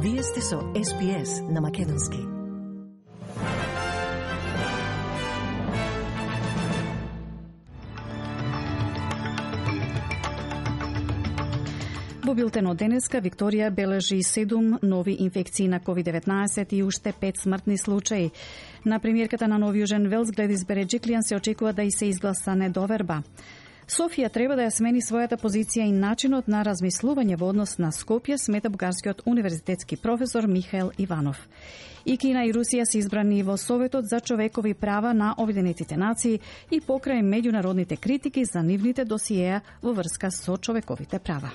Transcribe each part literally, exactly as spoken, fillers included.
Вие сте со Ес Би Ес на Македонски. Во билтенот денеска Викторија бележи седум нови инфекции на ковид деветнаесет и уште пет смртни случаи. На премиерката на Нов Јужен Велс Гледис Береджиклијан се очекува да и се изгласа недоверба. Софија треба да ја смени својата позиција и начинот на размислување во однос на Скопје, смета бугарскиот универзитетски професор Михаел Иванов. И Кина и Русија се избрани во Советот за човекови права на Обединетите нации и покрај меѓународните критики за нивните досиеа во врска со човековите права.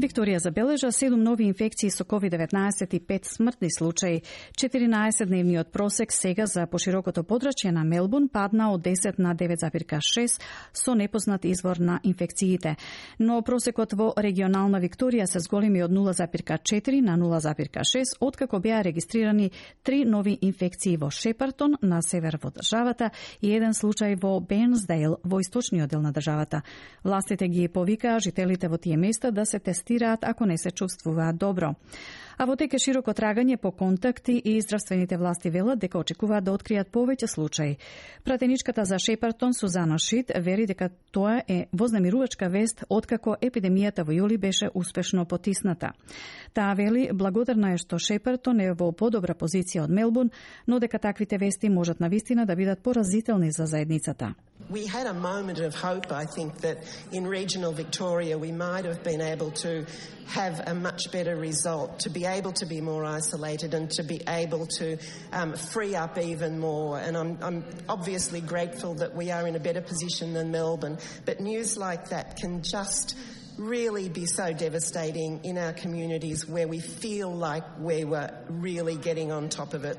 Викторија забележа седум нови инфекции со ковид деветнаесет и пет смртни случаи. четиринаесетдневниот просек сега за поширокото подрачје на Мелбурн падна од десет на девет зарез шест со непознат извор на инфекциите. Но просекот во регионална Викторија се зголеми од нула зарез четири на нула зарез шест, откако беа регистрирани три нови инфекции во Шепартон на север во државата и еден случај во Бенсдейл во источниот дел на државата. Властите ги повикаа жителите во тие места да се тестираат ако не се чувствуваат добро. А во теке широко трагање по контакти и здравствените власти велат дека очекуваат да откријат повеќе случаи. Пратеничката за Шепартон Сузана Шит вери дека тоа е вознемирувачка вест откако епидемијата во јули беше успешно потисната. Таа вели благодарна е што Шепартон е во подобра позиција од Мелбурн, но дека таквите вести можат навистина да бидат поразителни за заедницата. We had a moment of hope, I think, that in regional Victoria we might have been able to have a much better result, to be able to be more isolated and to be able to um, free up even more. And I'm, I'm obviously grateful that we are in a better position than Melbourne, but news like that can just really be so devastating in our communities where we feel like we were really getting on top of it.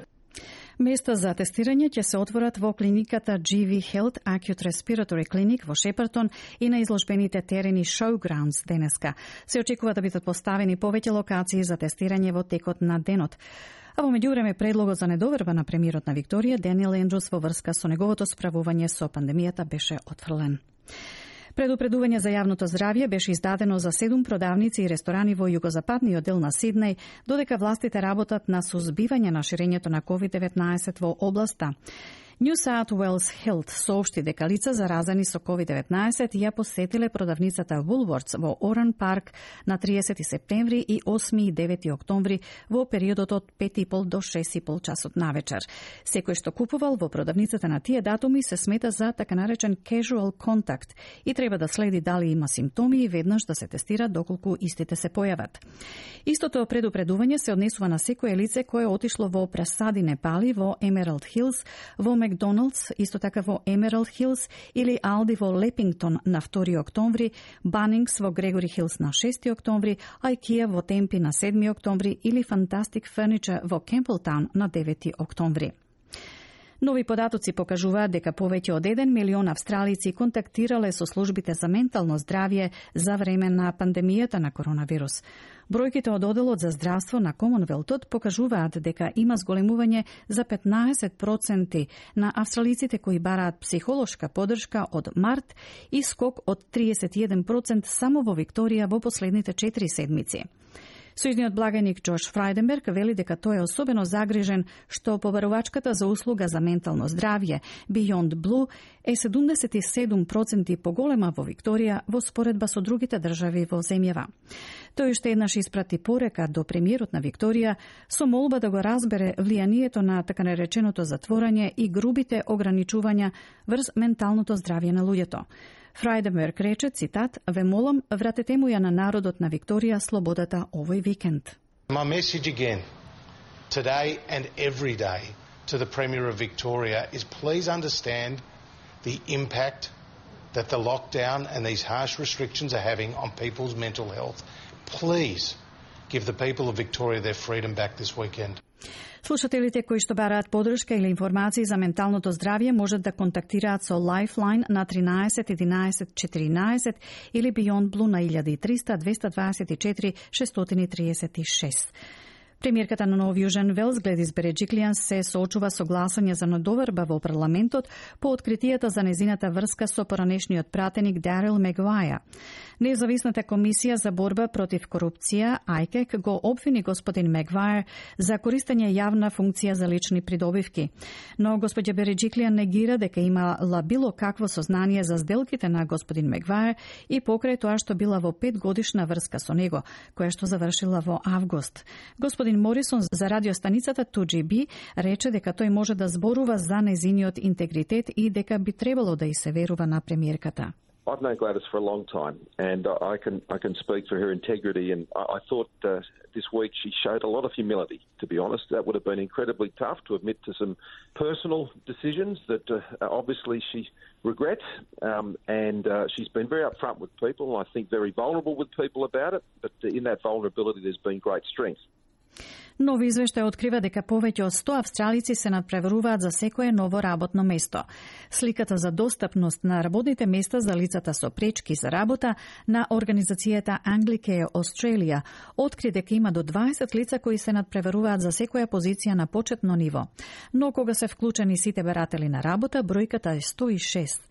Места за тестирање ќе се отворат во клиниката Джи Ви Health Acute Respiratory Clinic во Шепартон и на изложбените терени Showgrounds денеска. Се очекува да бидат поставени повеќе локации за тестирање во текот на денот. А во меѓувреме предлогот за недоверба на премиерот на Викторија Даниел Ендрус во врска со неговото справување со пандемијата беше отфрлен. Предупредување за јавното здравје беше издадено за седум продавници и ресторани во југозападниот дел на Сиднеј, додека властите работат на сузбивање на ширењето на ковид деветнаесет во областа. New South Wales Health соопшти дека лица заразени со ковид деветнаесет ја посетиле продавницата Woolworths во Оран Парк на триесети септември и осми и девети октомври во периодот од пет и пол до шест и пол часот навечер. Секој што купувал во продавницата на тие датуми се смета за така наречен casual contact и треба да следи дали има симптоми и веднаш да се тестира доколку истите се појават. Истото предупредување се однесува на секое лице кое отишло во пресади Непали во Емералд Хилс, во Макдоналдс, исто така во Емералд Хилс или Алди во Лепингтон на втори октомври, Банингс во Грегори Хилс на шести октомври, Айкија во Темпи на седми октомври или Fantastic Furniture во Кемплтаун на девети октомври. Нови податоци покажуваат дека повеќе од еден милион австралици контактирале со службите за ментално здравје за време на пандемијата на коронавирус. Бројките од Оделот за здравство на Комонвелтот покажуваат дека има зголемување за петнаесет проценти на австралиците кои бараат психолошка поддршка од март и скок од триесет и еден проценти само во Викторија во последните четири седмици. Сојузниот благаник Джош Фрајденберг вели дека тој е особено загрижен што побарувачката за услуга за ментално здравје Beyond Blue е седумдесет и седум проценти поголема во Викторија во споредба со другите држави во земјава. Тој уште еднаш испрати порека до премиерот на Викторија со молба да го разбере влијанието на така нареченото затворање и грубите ограничувања врз менталното здравје на луѓето. Фрајденберг рече, цитат, "Ве молам, вратете му ја на народот на Викторија слободата овој викенд." My message again, today and every day, to the Premier of Victoria is please understand the impact that the lockdown and these harsh restrictions are having on people's mental health. Please give the people of Victoria their freedom back this weekend. Слушателите кои што бараат поддршка или информации за менталното здравје можат да контактираат со Lifeline на тринаесет единаесет четиринаесет или Beyond Blue на еден и триста двеста дваесет и четири шестстотини триесет и шест. Премиерката на Нов Јужен Велс Гледис Береджиклијан се соочува со гласање за недоверба во парламентот по откритијата за незината врска со поранешниот пратеник Дарил Мегуаја. Независната комисија за борба против корупција, ајкек, го обвини господин Мегвајер за користење јавна функција за лични придобивки. Но господја Береджиклија негира дека имала било какво сознание за сделките на господин Мегвајер и покрај тоа што била во петгодишна врска со него, која што завршила во август. Господин Морисон за радиостаницата ту џи би рече дека тој може да зборува за нејзиниот интегритет и дека би требало да и се верува на премиерката. I've known Gladys for a long time, and I can I can speak for her integrity. And I, I thought uh, this week she showed a lot of humility. To be honest, that would have been incredibly tough to admit to some personal decisions that uh, obviously she regrets. Um, and uh, she's been very upfront with people, and I think very vulnerable with people about it. But in that vulnerability, there's been great strength. Нови извештај открива дека повеќе од сто австралици се надпреваруваат за секое ново работно место. Сликата за достапност на работните места за лицата со пречки за работа на организацијата Anglicare Australia откри дека има до дваесет лица кои се надпреваруваат за секоја позиција на почетно ниво. Но кога се вклучени сите баратели на работа, бројката е сто и шест.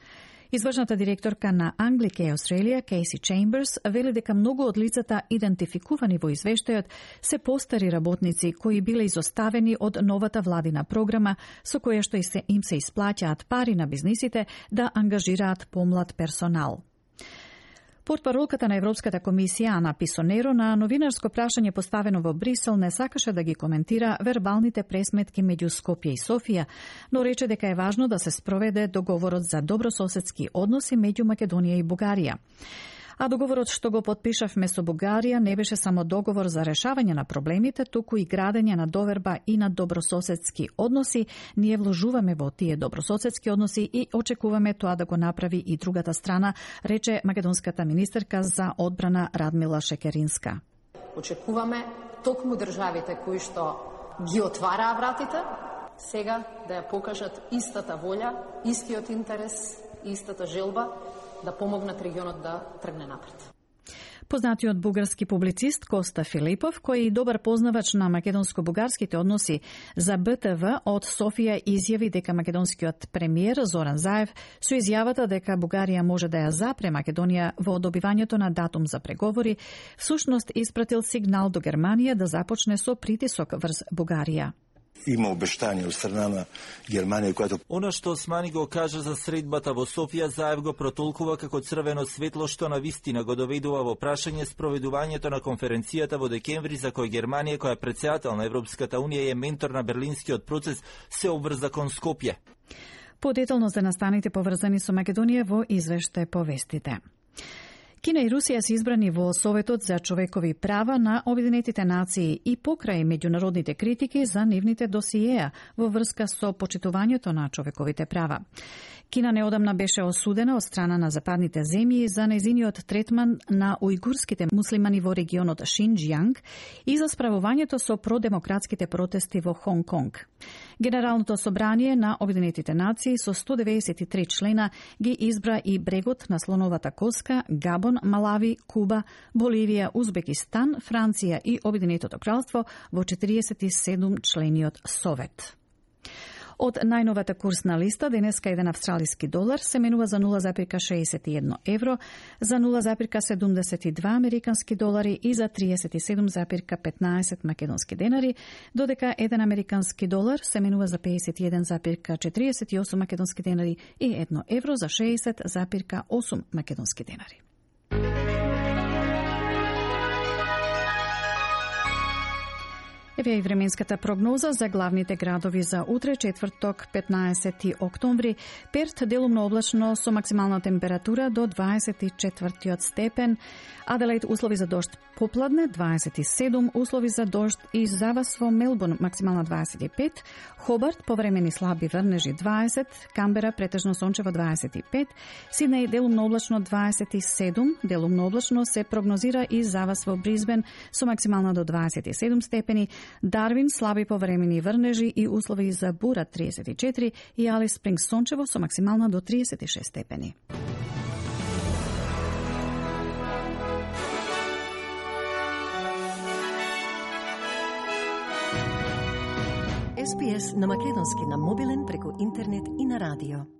Извршната директорка на Anglicare Australia, Кейси Чемберс, вели дека многу од лицата идентификувани во извештајот се постари работници кои биле изоставени од новата владина програма со која што им се исплаќаат пари на бизнисите да ангажираат помлад персонал. Портпаролката на Европската комисија Ана Писонеро на новинарско прашање поставено во Брисел не сакаше да ги коментира вербалните пресметки меѓу Скопје и Софија, но рече дека е важно да се спроведе договорот за добрососедски односи меѓу Македонија и Бугарија. А договорот што го потпишавме со Бугарија не беше само договор за решавање на проблемите, туку и градење на доверба и на добрососедски односи. Ние вложуваме во тие добрососедски односи и очекуваме тоа да го направи и другата страна, рече македонската министерка за одбрана Радмила Шекеринска. Очекуваме токму државите кои што ги отвараа вратите, сега да ја покажат истата волја, истиот интерес, истата желба да помогнат регионот да тргне напред. Познатиот бугарски публицист Коста Филипов, кој е добар познавач на македонско-бугарските односи за Б Т В од Софија, изјави дека македонскиот премиер Зоран Заев со изјавата дека Бугарија може да ја запре Македонија во добивањето на датум за преговори, всушност испратил сигнал до Германија да започне со притисок врз Бугарија. Има обештање од страна на Германија којато Она што Османи го кажа за средбата во Софија, Заев го протолкува како црвено светло што на вистина го доведува во прашање спроведувањето на конференцијата во декември за кој Германија, која е претседател на Европската унија и е ментор на берлинскиот процес, се обврза кон Скопје. Подетално за настаните поврзани со Македонија во извештај повестите. Кина и Русија се избрани во Советот за човекови права на Обединетите нации и покрај меѓународните критики за нивните досиеа во врска со почитувањето на човековите права. Кина неодамна беше осудена од страна на западните земји за нејзиниот третман на ујгурските муслимани во регионот Шинџјанг и за справувањето со продемократските протести во Хонг Конг. Генералното собрание на Обединетите нации со сто деветдесет и три члена ги избра и брегот на Слоновата коска, Габон, Малави, Куба, Боливија, Узбекистан, Франција и Обединетото кралство во четириесет и седум члениот совет. Од најновата курсна листа, денеска еден австралиски долар се менува за нула зарез шеесет и едно евро, за нула зарез седумдесет и два американски долари и за триесет и седум зарез петнаесет македонски денари, додека еден американски долар се менува за пеесет и еден зарез четириесет и осум македонски денари и едно евро за шеесет зарез осум македонски денари. Еве и временската прогноза за главните градови за утре, четврток, петнаесети октомври. Перт делумно облачно со максимална температура до дваесет и четвртиот степен. Аделаид услови за дожд попладне дваесет и седум, услови за дожд и завас во Мелбурн максимална дваесет и пет, Хобарт повремени слаби врнежи дваесет, Камбера претежно сончево дваесет и пет, Сиднеј делумно облачно дваесет и седум, делумно облачно се прогнозира и завас во Бризбен со максимална до дваесет и седум степени, Дарвин слаби повремени врнежи и услови за бура триесет и четири и Алис Спрингс сончево со максимална до триесет и шест степени. Ес Би Ес на македонски на мобилен преку интернет и на радио.